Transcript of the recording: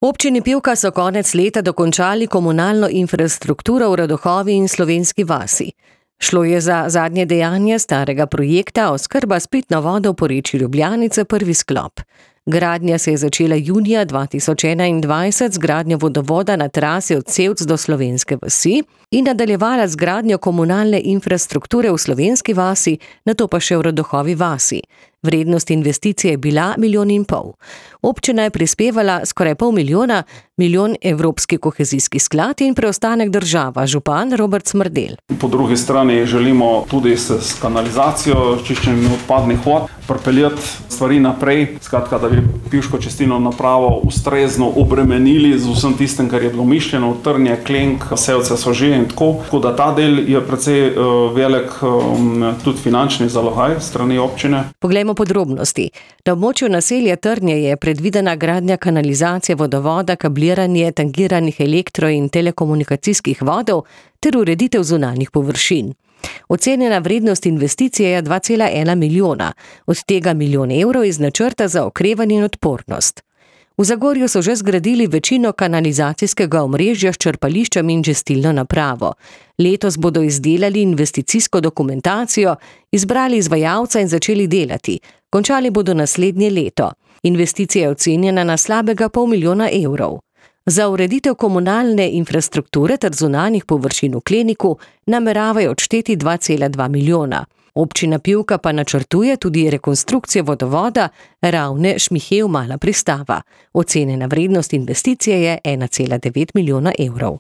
Občini Pivka so konec leta dokončali komunalno infrastrukturo v Radohovi in Slovenski vasi. Šlo je za zadnje dejanje starega projekta oskrba s pitno vodo v porečju Ljubljanice prvi sklop. Gradnja se je začela junija 2021 z gradnjo vodovoda na trasi od Sevc do Slovenske vasi in nadaljevala z gradnjo komunalne infrastrukture v Slovenski vasi, nato pa še v Radohovi vasi. Vrednost investicije je bila 1,5 milijona. Občina je prispevala skoraj 500 milijona, 1 milijon Evropski kohezijski sklad in preostanek država, župan Robert Smrdelj. Po drugi strani želimo tudi s kanalizacijo, čiščenjem odpadnih vod pripeljati stvari naprej, skratka, da bi pivško čistilno napravo ustrezno obremenili z vsem tistem, kar je bilo mišljeno, Trnje, Klenk, Sevce, Sožije in tako da ta del je precej velik tudi finančni zalogaj strani občine. Poglejmo podrobnosti. Na območju naselja Trnje je predvidena gradnja kanalizacije vodovoda, kabliranje tangiranih elektro- in telekomunikacijskih vodov ter ureditev zunanjih površin. Ocenjena vrednost investicije je 2,1 milijona, od tega 1 milijon evrov iz načrta za okrevanje in odpornost. V Zagorju so že zgradili večino kanalizacijskega omrežja s črpališčem in čistilno napravo. Letos bodo izdelali investicijsko dokumentacijo, izbrali izvajalca in začeli delati. Končali bodo naslednje leto. Investicija je ocenjena na slabega 500 milijona evrov. Za ureditev komunalne infrastrukture ter zunanjih površin v Kleniku nameravajo odšteti 2,2 milijona. Občina Pivka pa načrtuje tudi rekonstrukcijo vodovoda Ravne-Šmihev Mala Pristava. Ocenjena vrednost investicije je 1,9 milijona evrov.